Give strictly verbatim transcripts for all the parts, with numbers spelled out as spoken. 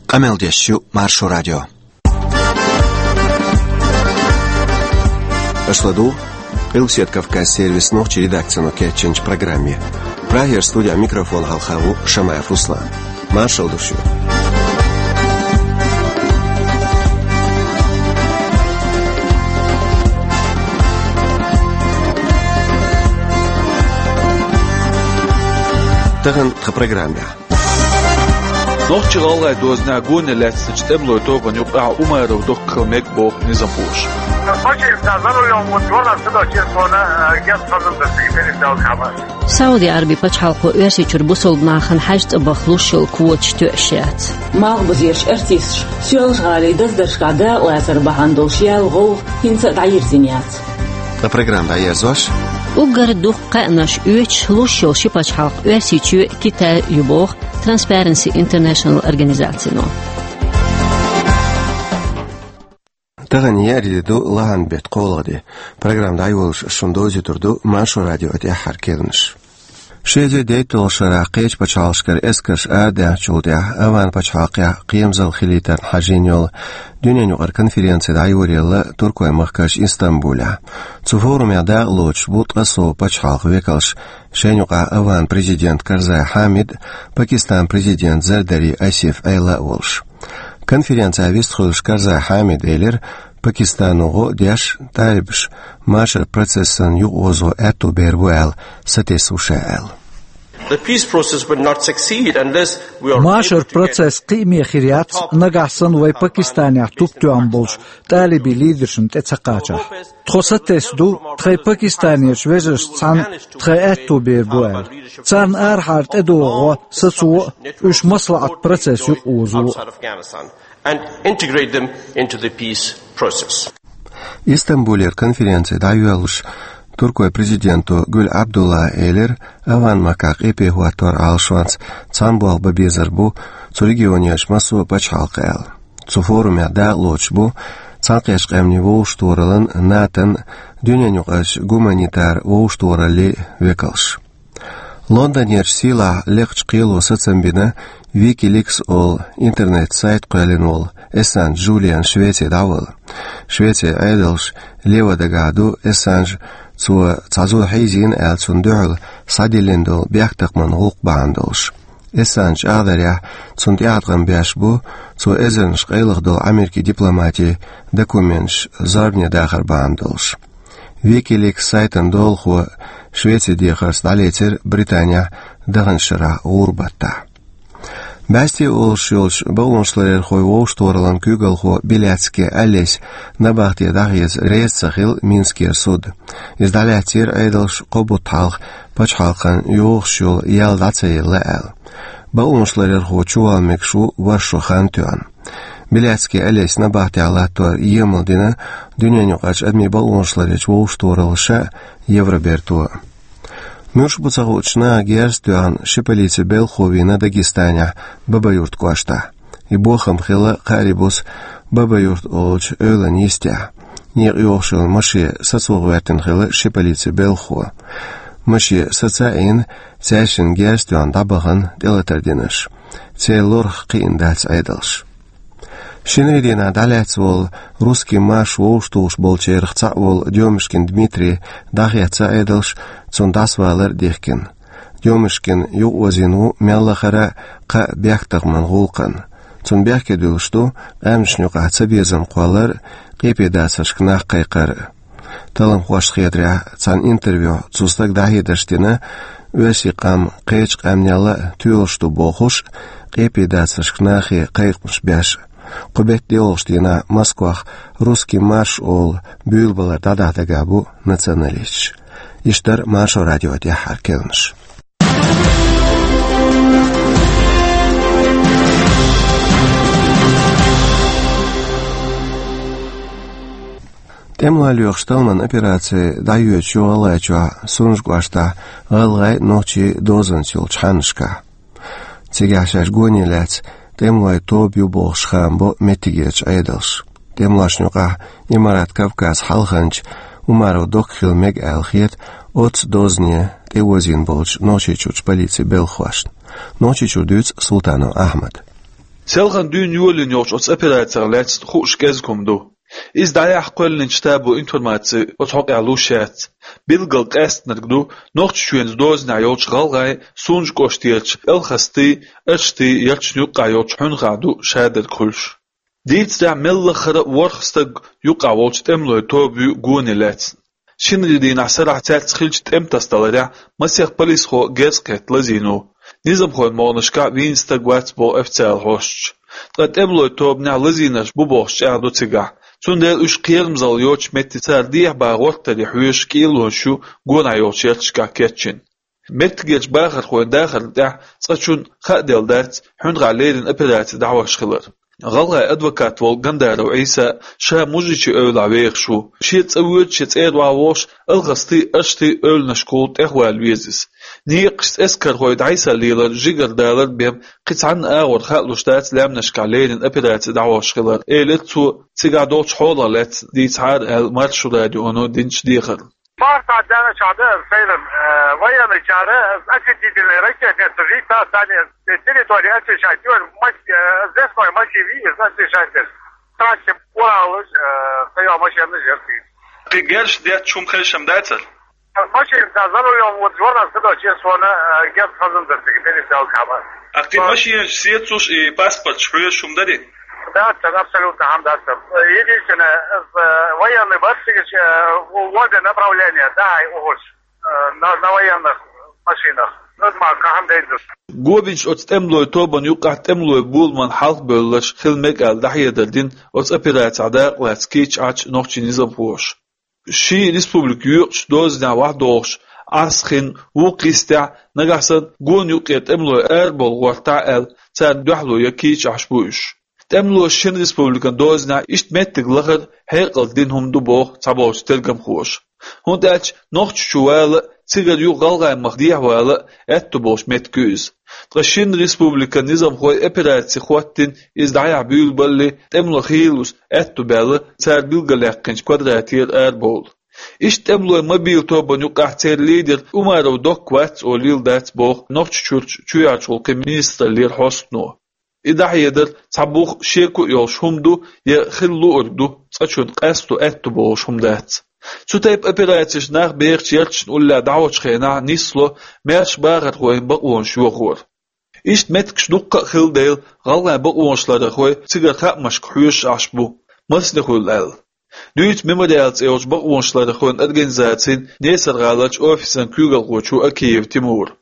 Къамел деш ю Маршо радио. Аша ладугӀу Къилбаседа Кавказан сервисан нохчийн редакцино кечйинчу программе. Прагера студин микрофона хьалха ву Шамаев Руслан. Маршалла ду шуьга. Тахана тхан программехь. Нохч-гӀалгӀай дозанехь гоне лаьцначу тӀемалойн тобанна юкъахь Умаров Доккха хила мега боху низамхоша. Сауди-Ӏаьрбийн пачхьалкхо Оьрсийчуьра бусалба нахана хьаьж цӀа баха луш йолу квоташ тоьаш яц. Малхбузерчу артисташа Соьлжа-ГӀалин даздаршкахь дакъалацар бахьана долуш яьлла гӀовгӀа хӀинца а дӀайирзина яц. Ткъа программа дӀаерзош. Уггар дукха кхаьънаш оьцуш луш йолу ши пачхьалкх Оьрсийчоь а, Китай а ю боху Transparency International организацино. Тахана еарин де ду, лахьан беттан кхоалгӀа де. Программа дӀайолош шуна довзуьйтур ду Маршо радион тӀаьххьара керланаш. Ши эзар дейтталгӀачу шарахь кхечу пачхьалкхашкара эскарш арадаьхначул тӀаьхьа АвгӀан пачхьалкхехь кхерамзалла хилийтарна хьажийна йолу дуьненаюкъара конференци дӀайоръелла Туркойн-махкарчу Истамбулехь. Цу форумехь дакъа лоцуш бу ткъе сов пачхьалкхан векалш, шайна юкъахь АвгӀан президент Карзай Хьамид а, Пакистанан президент Зардари Асиф Ӏела а волуш. Конференцехь вистхуьлуш Карзай Хьамида элира, Пакистано гӀо а деш, талибаш машар процессан юкъаозо аьтто бер бу аьлла, сатесна ву ша аьлла. The peace process will not succeed unless we are Машар able to get процесс кхиаме хир яц, нагахь санна вай Пакистанехь туп тоьхна болчу талибийн лидершна тӀе ца кхачахь. Тхо сатесна ду, тхайн пакистанерчу вежаршца цхьаьна тхайн аьтто бер бу аьлла. Царна арахьара тӀедогӀу гӀо сацо а, уьш маслаӀат процесс юкъаозо а. And integrate them into the peace process. Истамбулера конференци дӀайоьллуш, Туркойн президенто Гюль Абдуллас элира, АвгӀан-махкахь къепе хӀоттор Ӏалашонца цхьаьна болх бан безар бу цу регионерчу массо а пачхьалкхан аьлла. Цу форумехь дакъа лоцуш бу Цхьаьнакхеттачу Къаьмнийн Вовшахтохараллин, НАТО-н, дуьненаюкъарчу гуманитар вовшахтохараллин векалш. Лондонерчу сийлахь лекхачу кхело сацам бина Wikileaks олу интернет-сайт кхоьллина волу Ассанж Джулиан Швеце дӀавала. Швецин Ӏедалша лево дагахь ду Ассанж, цо цхьа зуда хьийзийна аьлла, цунна дуьхьал схьадиллина долу бехктакхаман гӀуллакх бахьана долуш. Ассанж чӀагӀдарехь, цунна тӀеӀаткъам беш бу цо эзарнаш къайлаха долу Америкин дипломатин документаш зорбане дахар бахьана долуш. Wikileaks сайтан долахо Швецин дехарца дӀалецира Британехь даханчу шарахь гӀуран баттахь. БӀаьсте олуш йолчу бакъонашларъярхойн вовшахтохараллин куьйгалхо Беляцкий Олесь набахте дӀахеца реза ца хилла Минскера суд. Иза дӀалаьцнера Ӏедалша кхо бутт хьалха пачхьалкхан йогӀуш йолу ял дӀа ца елла аьлла. Бакъонашларъярхо чувала мегаш ву ворхӀ шо хан тоьхна. Беляцкий Олесь набахтехь латтор емал дина Дуьненаюкъарчу адамийн бакъонашларъярчу вовшахтохараллаша а, Евроберто а. Муьлш бу ца хуучу наха герз а тоьхна, ши полицин белхахо вийна Дагестанехь Бабаюрт кӀоштахь. И бохам хилла кхаарин буса Бабаюрт олучу эвлан йистехь. Некъа йогӀуш йолу машен сацо гӀоьртина хилла ши полицин белхахо. Машен саца а йина, цаьршинна герз а тоьхна дӀабахана тӀелатар дина уьш. Церан лорах кхиъна дац Ӏедалша. Шинарин дийнахь дӀалаьцна волу «Русский марш» вовшахтухуш болчарах цхьаъ волу Дёмушкин Дмитрий дӀахецна Ӏедалша, цунна дӀасавалар а дихкина. Дёмушкин юкъаозийна ву мел лахара а кхаа бехктакхаман гӀуллакхана. Цунна бехке дуьллуш ду къаьмнашна юкъахь цабезам кхоллар а, къепедацаршка нах кхайкхар а. Талламхошна хетарехь, цхьана интервьюхь цу стага дӀахьедарш дина оьрсийн къам кхечу къаьмнел а тоьлуш ду бохуш а, къепедацаршка нахе кхайкхамаш беш а. Кху беттан доьалгӀачу дийнахь Москвахь «Русский марш» олу буьйлабалар дӀадахьа дагахь бу националисташ. Иштта дара Маршо радион тӀаьххьара керланаш. ТӀемалой лоьхуш талламан операци дӀайоьдуш ю ГӀалгӀайчохь Сунжа кӀоштахь гӀалгӀай, нохчий дозанца йолчу хьаннашкахь. Цигахь шаьш гоне лаьцна тӀемалойн тоба ю бохуш хаам бо меттигерчу Ӏедалша. ТӀемалошна юкъахь Имарат Кавказ хьалханча Умаров Доккха хила мега аьлла хета оццу дозане тӀеозийна болчу Нохчийчуьрчу полицин белхахошна. Нохчийчуьра дуьйцу Султанов Ахьмада. Селхан дуьйна йолийна йолчу оцу операцех лаьцна хууш кӀезиг хӀума ду. Иза дӀаяхьа кхоьллинчу штабо информаци оцу хьокъехь луш яц. Билггал къаьстинарг ду, Нохчийчоьнан дозанехь йолчу гӀалгӀайн Сунжа кӀоштарчу Алхастий, Аштий ярташна юккъехь йолчу Хьуьнхахь ду шадерг хуьлуш. Дийцарехь, меллаха а ворхӀ стаг юккъехь волчу тӀемалойн тоба ю гоне лаьцна. Шинарин дийнахь сарахь цаьрца хиллачу тӀематасадаларехь масех полисхо герз кхетта лазийна ву. Низамхойн могӀанашкахь вийна стаг вац боху официалан хьосташа. Ткъа тӀемалойн тобанехь лазийнарш бу бохуш чӀагӀдо цигахь. Цундела уьш кхерамзалла йоцучу метте цара дехьа бан гӀортаран хьоьжуш кӀелонаш ю гонахь йолчу ярташкахь кечйина. Меттигерчу бахархойн дахарна тӀехь цкъачунна хааделла дац Хьуьнхахь леррина операци дӀахьош хилар. ГӀалгӀайн адвокат волу Гандаров Ӏийса ша мужичийн эвлахь вехаш ву. Шен цӀа воьдуш я цӀера ваха волуш, Алхастий, Аштий эвланашкахула тӀехвала веза иза. Некъашца эскархой дӀасалелар, жигара далар бен кхин цхьанна агӀор хаалуш дац лаьмнашкахь леррина операци дӀахьош хилар, элира цо, цигахь долчу хьолах лаьцна дийцахьара аьлла Маршо радионо динчу дехарна. Парта дена чада сейран, э, военный чара, значительный ракетный сужить, та сами территории очищать, и он мас-, э, здесь мой массив и значит, трассе Уралыш, э, стоял машина жертвы. Кхин герш детташ хӀума хезаш дацара? Машина, да, за рулем, вот, журнал, когда честно, э, герш хазан дерти, пересел кама. А кхин машинаш сецалуш и паспорташ хьоьжуш хӀума дарий? Да, это абсолютно хьамдаса. Единственное, э, военный башсигаш, э, в обе направления, да, и угуш, э, на, на военных машинах. Ну, это ма-, кахам дейдус. Гобинчу оцу тӀемалойн тобанна юккъехь тӀемалойн боламан хьалхабевлларш хила мега аьлла дӀахьедар дина оцу операцехь дакъалаьцна кийча Ӏачу нохчийн низамхоша. Ши республика йоькъучу дозанехь вахдохуш, Ӏаьрса хин вукху йистехь, нагахь санна гонан юккъера тӀемалой арабовла гӀортахь аьлла, царна дуьхьало ян кийча Ӏаш бу уьш. ТӀемалоша шина республикан дозанехь иштта меттиг лахар хьекъалца дина хӀума ду боху цхьаболчу тергамхоша. ХӀунда аьлча Нохчийчу вала а, цигара юха ГӀалгӀайн мах дехьавала а аьтто болуш меттиг ю иза. Ткъа шина республикан низамхой операци хӀоттийна иза дӀаяхьа буьйлабалале, тӀемалой хийлалуш аьтто баьлла цара билгалъяьккхинчу квадратера арабовла. Иштта тӀемалойн мобил тобанна юккъехь церан лидер Умаров Докка вац олийла дац боху Нохчийчуьрчу чоьхьарчу гӀуллакхийн министраллера хьостано. И дӀахьедар цхьа бух шеко а йолуш хӀума ду я хила луург ду, цкъачунна къасто аьтто болуш хӀума дац. Цу тайпа операцеш нах бехачу ярташна уллехь дӀахьочу хенахь нисло маьрша бахархойн бакъонаш йохор. Иштта меттигаш дуккха а хилла дела, гӀалгӀайн бакъонашларъярхой цигара хаамашка хьоьжуш Ӏаш бу, масане хуьлу аьлла. Дуьйцу «Мемориал» цӀе йолчу бакъонашларъярхойн организацин Несар-гӀаларчу офисан куьйгалхочо Акиев Тимура.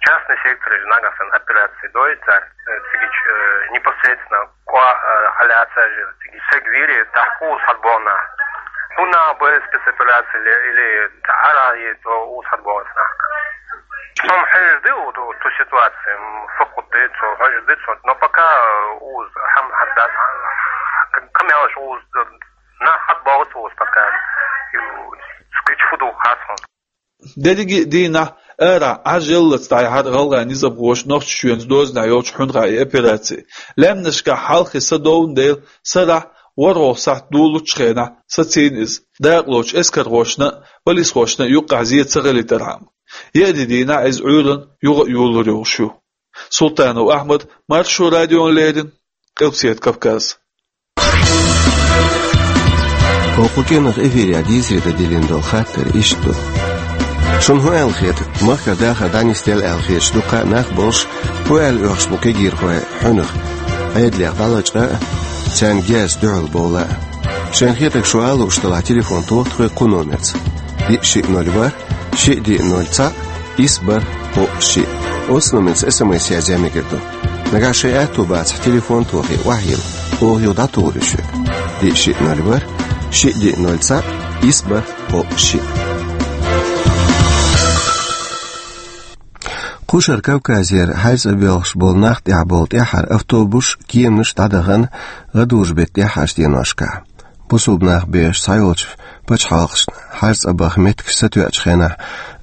Частный сектор или нагахь санна операци дойту цара, э, цигича, э, непосредственно кхо, э, хьалаца же, циги сегвири, тахкуз хьадбона. Хуна бы спецоперация или, или тара и то уз хьадбона. Хьом хьежди у ту, ту ситуацию, м, факут ди, цо хьежди, цо, но пока, э, уз хьам хьаддан, к-, камелаш уз, э, на хьадбогу уз пока. Ю, скич фуду хасон. Дерриге а дийнахь арахь Ӏаж яллалц дӀаяхьара гӀалгӀайн низамхоша Нохчийчоьнан дозанехь йолчу Хьуьнхахь и операци. Лаьмнашкахь хьалххе са довна дела, сарахь ворхӀалгӀа сахьт долучу хенахь сацийна иза, дакъалоцучу эскархошна а, полисхошна а юккъехь зен ца хилийтархьама. Еарин дийнахь иза Ӏуьйранна юха а йолалур йолуш ю. Султанов Ахьмад, Маршо радиона леррина, Къилбаседа Кавказ. Оха кху кӀиранах эфирехь дийцаре дан диллина долу хаттар иштта ду. Шуна хӀун аьлла хета, махкара дахар дӀанисделла аьлла хеташ дуккха а нах болуш, хӀун аьлла оьхуш бу кегийрхой Хьуьнах, Ӏедалех дӀалачкъа а, царна герзаца дуьхьал бовла а? Шайна хетарг шу ала лууш делахь, телефон тоха тхоьга кху номерца: диъ шиъ ноль ворхӀ, шиъ диъ ноль цхьаъ, исс бархӀ кхоъ шиъ. Оцу номерца эс эм эс язъян мегар ду. Нагахь шайн аьтто бацахь, телефон тохий, охьайилла, оха юха дӀатухур ю шуьга. Диъ шиъ ноль ворхӀ, шиъ диъ ноль цхьаъ, исс бархӀ кхоъ шиъ. Кхушара Кавказера хьаьж цӀа боьлхуш болу нах тӀехь болу тӀаьххьара автобус кеманаш дӀадахана гӀадужу-беттан тӀаьххьарчу деношкахь. Бусулба нах бехаш цхьайолчу пачхьалкхашна хьаьж цӀа баха меттигаш сатоьъучу хенахь,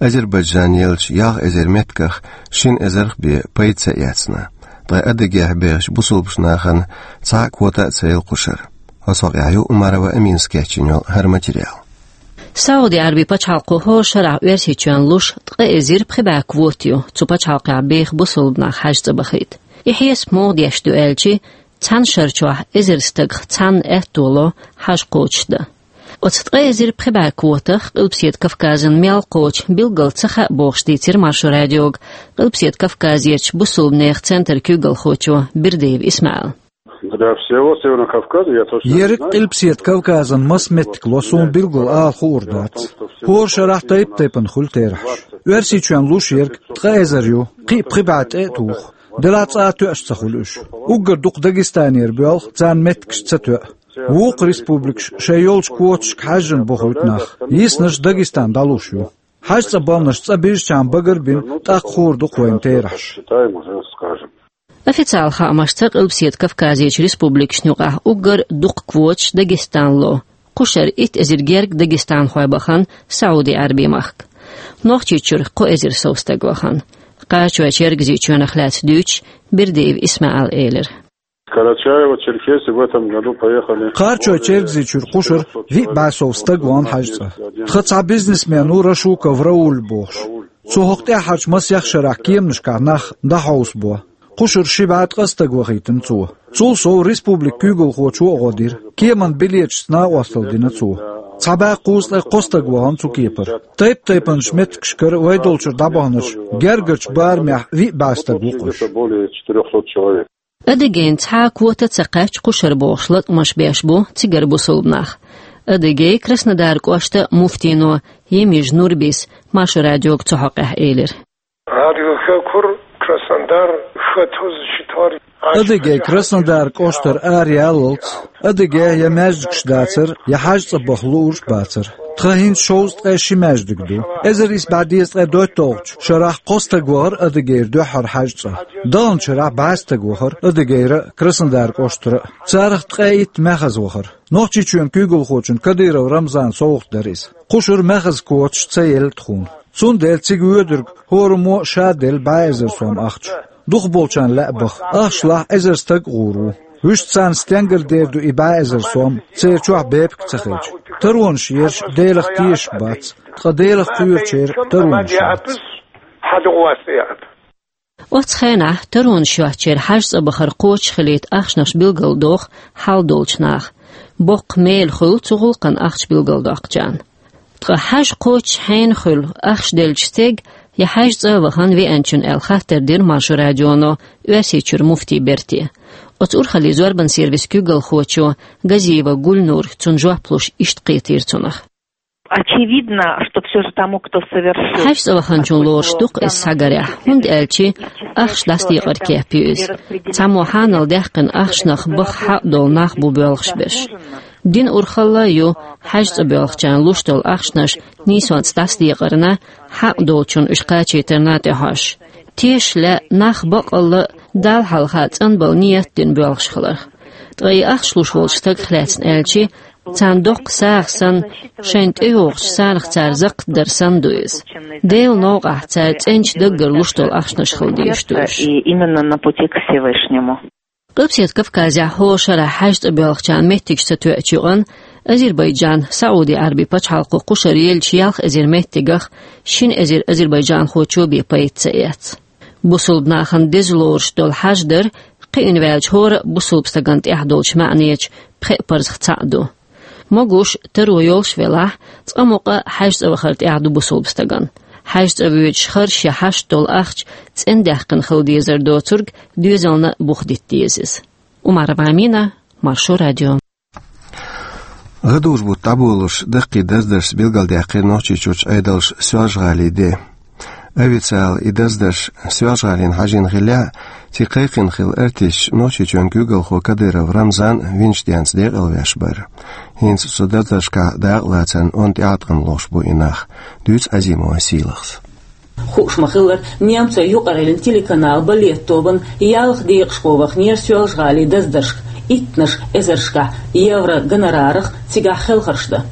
Азербайджан еллачу ялх эзар меттигах шина эзарх бен пайда ца эцна. Ткъа Адыгейхь бехачу бусулбачу нахана цхьа а квота а ца елла кхушара. Оцу хьокъехь ю Умарова Аминас кечйина йолу хӀара материал. Сауди-Ӏаьрбийн пачхьалкхо хӀора шарахь Оьрсийчоьнна луш ткъа эзар пхи бӀе квота ю, цу пачхьалкхехь беха бусулба нах хьаьж цӀа бахийта. И хьесап муха деш ду аьлчи, цхьана шара чохь эзар стагах цхьанна аьтто ло хьаж кхочушдан. Оцу ткъа эзар пхи бӀе квотах Къилбаседа Кавказан мел кхочу билггал ца хаьа бохуш дийцира Маршо радиога Къилбаседа Кавказерчу бусулбанехан центран куьйгалхочо Бердиев ИсмаӀила. Для всего Северного Кавказа я точно не знаю. Ерриг Къилбаседа Кавказан маса меттиг ло суна билггал ала хуур дац. ХӀора шарахь тайп-тайпана хуьлу терахьаш. Оьрсийчоьнна луш ерг ткъа эзар ю, кхин а пхи бӀе тӀе а туху. Делахь цкъа а тоьаш ца хуьлу уьш. Уггар дукха Дагестанера боьлху, царна меттигаш ца тоьа. Вукху республикаш шайн йолчу квоташка хьаьжжина бохуьйту нах. Йиснарш Дагестан дӀалуш ю. ХьаьжцӀа баланаш цӀа бижчарна багар а бина, тӀаккха хуур ду-кх вайна терахьаш. Считаем уже, скажем. Официалан хаамашца Къилбаседа Кавказерчу республикашна юкъахь уггар дукха квоташ Дагестана ло. Кхушара итт эзар гергга дагестанхой бахана Сауди-Ӏаьрбийн махка. Нохчийчуьра кхо эзар сов стаг вахана. Кхарачой-Чергазийчоьнах лаьцна дуьйцуш, Бердиев ИсмаӀила элира. Карачаево-Черкесия в этом году поехали. Кхарачой-Чергазийчуьра кхушара виъ бӀе сов стаг вахана хьаьжцӀа. Тхан цхьа бизнесмен ву Рашуков Рауль бохуш. Цо хӀокху тӀаьххьарчу масех шарахь кеманашкахь нах дӀахьовсабо. Кхушара ши бӀе ткъа стаг вахийтина цо. Цул сов республикан куьйгалхочо а гӀо дира. Кеманан билеташца накъосталла дина цо. Цхьа бӀе кхузткъе кхо стаг вахана цу кепара. Тайп-тайпанчу меттигашкара вай долчуьра дӀабаханарш гергарчу барамехь виъ бӀе стаг ву-кх уьш. Более четырёхсот человек. Адыгейн цхьа а квота ца кхаьчча кхушара бохуш латкъамаш беш бу цигара бусулба нах. Адыгейн Краснодар кӀоштан муфтино Емижа Нурбис Маршо радиога цу хьокъехь элира. Адыгейн Краснодар кӀоштара араяьллалц, Адыгейн я маьждигаш дацара, я хьаьжцӀа баха луурш а бацара. Тхан хӀинца шовзткъе ши маьждиг ду. Эзар исс бӀе дезткъе доьтталгӀачу шарахь кхо стаг вахара Адыгейра дуьххьара хьаьжцӀа. Даханчу шарахь бӀе стаг вахара Адыгейра а, Краснодар кӀоштара а. Царах ткъе итт маьхаза вахара. Нохчийчоьнан куьйгалхочун Кадыров Рамзанан совгӀат дара иза. Кхушара маьхаза квоташ ца елла тхуна. Цундела цига воьдург хӀораммо а ша делла бӀе эзар сом ахча. Дукхахболчарна лаьа баха. Ахча лахь эзар стаг а гӀур ву. Вуьшта царна стенгара дер ду и бӀе эзар сом, церан чохь бепиг ца хилча. Таронаш ерш Делах тешаш бац, ткъа Делах кхоьручеран таронаш яц. Оцу хенахь таронаш йоцучеран хьаьжцӀа бахар кхочушхилийта ахчанаш билгалдоху хьал долчу наха. Боккха мела хуьлу цу гӀуллакхна ахча билгалдоккхучарна. Ткъа хьаьж кхочуш хьенан хуьлу ахча деллачу стеган я хьаьжцӀа а вахана веанчунна аьлла хаттар дира Маршо радионо Оьрсийчуьра муфти Берте. Оцу урхаллин зорбанан сервисан куьйгалхочо Газиева Гульнура цунна жоп луш иштта кхетийра цунах. Очевидно, что всё же тому, кто совершил... ХьаьжцӀа ваханчунна лоруш ду-кх иза схьагарехь, хӀунда аьлча ахча дӀасадекъар кеп ю иза. Цхьаммо хьанал даьккхина ахчанах баха хьакъ долу нах бу боьлхуш берш. Дина урхалла а ю хьаьжцӀа боьлхучарна луш долу ахчанаш нийсонца дӀасадекъарна, хьакъ долчунна уьш кхачийтарна а тӀехьожуш. Тешаш лаьа нах баккъалла а Далла хьалха цӀанбала ният дина боьлхуш хиларх. Ткъа и ахча луш волчу стагах лаьцна аьлча, царна доккха сагӀа санна, шайна тӀейогӀучу сагӀанах цара заккхат дар санна ду иза. Делан новкъахь цара цӀеначу даггара луш долу ахчанаш хила дезаш ду уьш. И именно на пути к Всевышнему. Къилбаседа Кавказехь хӀора шарахь хьаьжцӀа боьлхучарна меттигаш ца тоьачу юкъана Азербайджан Сауди-Ӏаьрбийн пачхьалкхо кхушара еллачу ялх эзар меттигах шина эзар азербайджанхочо бен пайда ца эцна. Бусулба нахана деза лоруш долу хьаьж дар кхиъна ваьллачу хӀора а бусулба стагана тӀехь долчу маьӀнечу пхеа парзах цхьаъ ду. Могуш, таро йолуш велахь, цкъа мукъа хьаьжцӀа вахар тӀехь ду бусулба стагана. ХьаьжцӀа воьдуш харш я хьашт долу ахча цӀендаьккхина хила дезар доцург доьзална а бух дита деза иза. Умарова Амина, Маршо радио. ГӀадужу-бутт дӀаболуш даккхий даздаршца билгалдаьккхира Нохчийчуьрчу Ӏедалша Соьлжа-ГӀалин де. Официалан и даздарш Соьлжа-ГӀалина хьажийна хиллехь а, цига кхайкхина хилла артисташ Нохчийчоьнан куьйгалхо Кадыров Рамзан винчу денца декъалвеш бара. ХӀинца цу даздаршкахь дакъалацарна онда тӀеӀаткъам лохуш бу и нах. Дуьйцу Азимова Сийлахьас. Хууш ма-хиллара, немцойн юкъараллин телеканал балет тобанан ялх декъашхо ваханера Соьлжа-ГӀалин даздаршка, иттанаш эзаршкахь евро гонорарах цигахь хелхарш дан.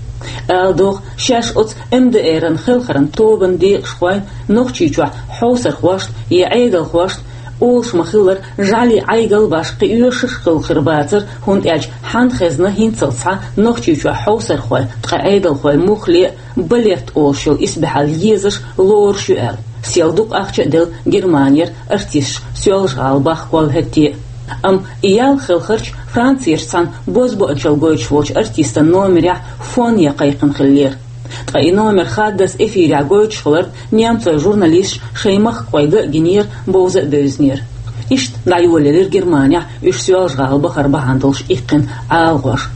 Ала догӀу, шаьш оцу МДР-ан хелхаран тобанан декъашхой Нохчийчохь хьовсархошна я Ӏедалхошна, олуш ма-хиллара, жӀалин Ӏайгал башха кхин оьшурш хилла хир бацара, хӀунда аьлча хьанна хезна хӀинццалц схьа Нохчийчохь хьовсархой, ткъа Ӏедалхой муххале а балет олуш йолу исбаьхьалла езаш, лоруш ю аьлла. Сел дукха ахча а делла, Германера артисташ Соьлжа-ГӀала бахка волу хӀетте а. Амма и ял хелхарч Францерчу цхьана бозбуунчалла гойтуш волчу артистан номерехь фон ян кхайкхина хиллера. Ткъа и номер хаддаза эфирехь гойтуш хиларна, немцойн журналисташа шайн махкахой ган а гинера, бовза а бевзинера. Иштта дӀайолаелира Германехь уьш Соьлжа-ГӀала бахар бахьана долуш иккхина Ӏалагӏожа.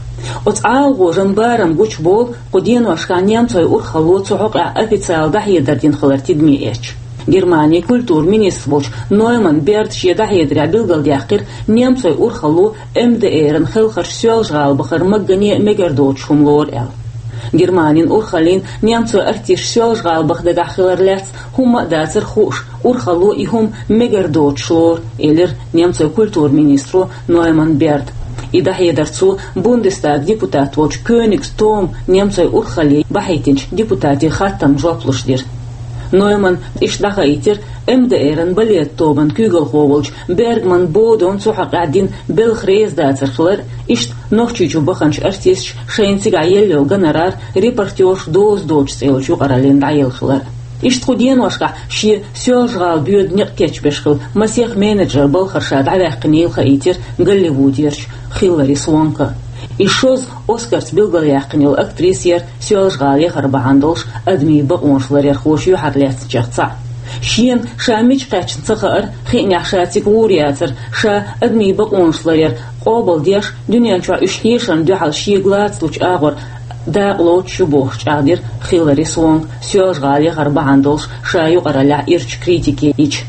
Оцу Ӏалагӏожан барам гучуболу кху деношкахь немцойн урхалло цу хьокъехь официалан дӀахьедар дина хилар тидаме эцча. Германин культуран министр волчу Нойман Берда шен дӀахьедарехь билгалдаьккхира, немцойн урхалло МДР-ан хелхарчу Соьлжа-ГӀала бахар маггане а мегар доцуш хӀума лору аьлла. Германин урхаллин немцойн артисташ Соьлжа-ГӀала баха дагахь хилар лаьцна хӀумма а дацара хууш, урхалло и хӀума мегар доцуш лору, элира немцойн культуран министро Нойман Берда. И дӀахьедар цо Бундестаган депутат волчу Кёнигс Тома немцойн урхалле бахьийтинчу депутатийн хаттарна жоп луш дира. Ноймана иштта дӀахаийтира МДР-ан балет тобанан куьйгалхо волчу Бергман Бодона цу хьокъехь дина белхан реза дацар хилар, иштта Нохчийчу баханчу артисташа шайна цигахь елла йолу гонорар репортёрша доза доцуш цӀе йолчу юкъараллина дӀаелла хилар. Иштта кху деношкахь шен Соьлжа-ГӀала боьду некъ кечбеш хилла масех менеджер балхара ша дӀаваьккхинийла хаийтира Голливудерчу Хиллари Свонка. И шозза Оскарца билгалъяьккхина йолу актриса яра Соьлжа-ГӀала яхар бахьана долуш адамийн бакъонаш ларъярхоша юьхьарлаьцначех цхьаъ. Шена ша мича кхаьчна ца хаар, хиънехь ша цига гӀур яцар, ша адамийн бакъонаш ларъяр къобалдеш, дуьнен чохь уьш хьешарна дуьхьал шега лацалучу агӀор дакъа лоцуш ю бохуш чӀагӀдира Хиллари Свонка Соьлжа-ГӀала яхар бахьана долуш ша юкъараллехь ирчу критике йича.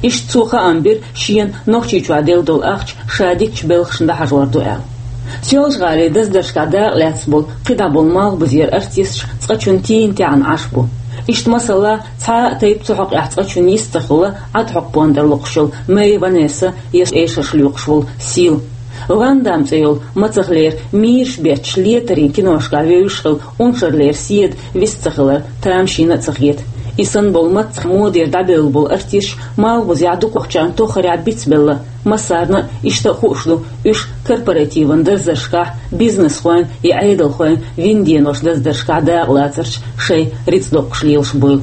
Иштта цо хаам бира шена Нохчийчохь делла долу ахча ша дикачу белхашна дӀахьажор ду аьлла. Соьлжа-ГӀалин даздаршкахь дакъа лаьцна болу кхидӀа болу малхбузера артисташ цкъачунна тийна тӀаьхьана Ӏаш бу. Иштта, масала, цхьа а тайпа цу хьокъехь цкъачунна йист ца хилла, Ӏад хьокху пондар локхуш йолу Мэй Ванесса я эшарш лоькхуш волу Сил. Ван Дам цӀе йолу мацахлера мийраш бетташ летарийн киношкахь вевзаш хилла уншарлера Седа вист ца хилар тамашийна а ца хета. И санна болу мацах модера дӀабевлла болу артисташ малхбузехь дукхахчарна тоххарехь бицбелла, массарна а иштта а хууш ду, уьш корпоративан даздаршкахь бизнесхойн я Ӏедалхойн вина денош даздаршкахь дакъа лацарца шайн рицкъ доккхуш лелаш буйла.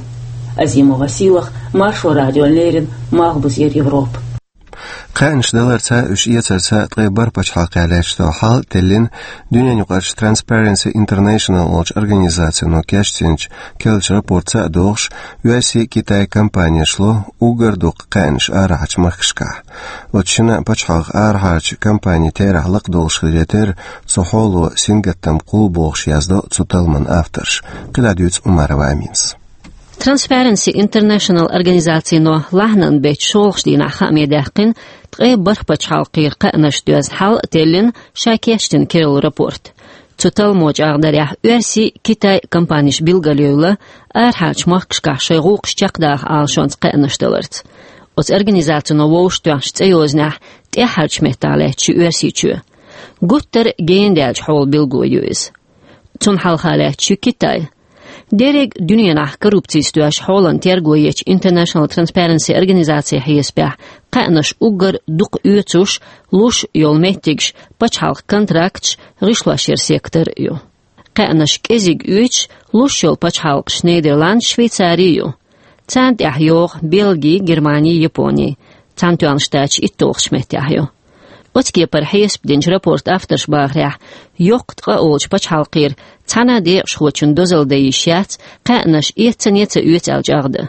Азимова Силах, Маршо радиона леррина, Малхбузера Европа. Кхаьънаш даларца, уьш эцарца ткъе бархӀ пачхьалкхехь лаьтташ долу хьал а теллина, дуьненаюкъарчу Transparency International олучу организацино кечдинчу керлачу рапортца а догӀуш, Оьрсий, Китай компанеш ло уггар дукха кхаьънаш арахьарчу махкашкахь. Оцу шина пачхьалкхан арахьарчу компанийн терахь лакхадолуш хиларе терра, цу хьоло сингаттам кхуллу бохуш яздо цу талламан авторша. КхидӀа дуьйцу Умарова Аминас. Transparency International организацино лахьанан беттан шолгӀачу дийнахь хааме даьккхина ткъе бархӀ пачхьалкхера кхаьънаш доьзна хьал а теллина ша кечдина керла рапорт. Цу талламо чӀагӀдарехь, Оьрсий, Китай компанеш билгалъевлла арахьарчу махкашкахь шайн гӀуллакхаш чекхдаха Ӏалашонца кхаьънаш даларца. Оцу организацино вовшахтоьхначу цӀейознехь тӀаьххьарчу меттехь лаьтташ ю Оьрсийчоь. Гуттар а гена даьллачу хьолан билгало ю иза. Цунна хьалха лаьтташ ю Китай. Дерриг дуьненахь коррупцица доьзначу хьолан терго ечу International Transparency организацин хьесапехь, кхаьънаш уггар дукха оьцуш, луш йолу меттигаш пачхьалкхан контракташ, гӀишлошъяран сектор а ю. Кхаьънаш кӀезиг оьцуш, луш йолу пачхьалкхаш Нидерландаш, Швейцари ю. Царна тӀехь йогӀу Бельги, Германи, Япони. Цхьаьнатоьхначу Штаташ итталгӀачу меттехь ю. Оцу кепара хьесап динчу рапортан авторша бахарехь, йоккха ткъа олучу пачхьалкхера цхьана а декъашхочун дозалла дан йиш яц, кхаьънаш эццане а ца оьцу аьлла чӀагӀдан.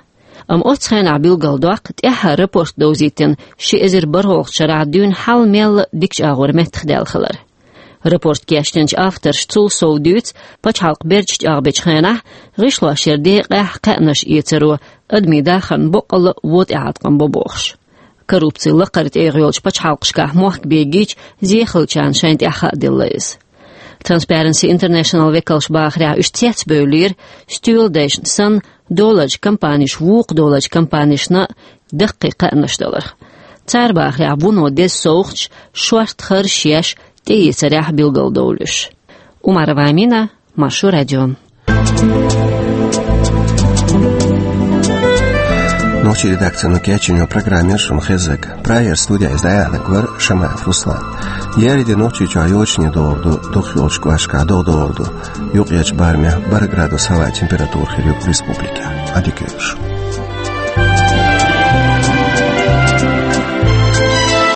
Амма оццу хенахь билгалдоккху, тӀаьххьара рапорт довзийтина ши эзар бархӀалгӀачу шарахь дуьйна хьал мелла а дикачу агӀор меттахдаьлла хилар. Рапорт кечдинчу авторша цул сов дуьйцу, пачхьалкх бердаш чӀагӀбечу хенахь, гӀишлошъяран декъехь кхаьънаш эцаро адамийн дахарна боккъалла а вон тӀеӀаткъам бо бохуш. Коррупци лакхара тӀегӀа йолчу пачхьалкхашкахь мохк бегийча, зехалчарна шайна тӀехь хаа делла иза. Transparency International векалша бахарехь, уьш цецбевллера, стоьла дайшна санна, долларчу компанеш вукху долларчу компанешна даккхий кхаьънаш даларх. Цара бахарехь, вуно деза совгӀаташ, шорта харжаш еш, тӀеэцарехь билгалдовлуш. Умарова Амина, Маршо радио. Нохчийн редакцино кечйина программа яра шуна хезнарг. Прагера студехь иза дӀаяьхьнарг вара Шамаев Руслан. Еарин де Нохчийчохь йочане догӀур ду, дукхахйолчу кӀошташкахь догӀа догӀур ду. Юккъерчу барамехь бархӀ градус хӀаваан температура хир ю республикехь. Ӏадика йойла шун.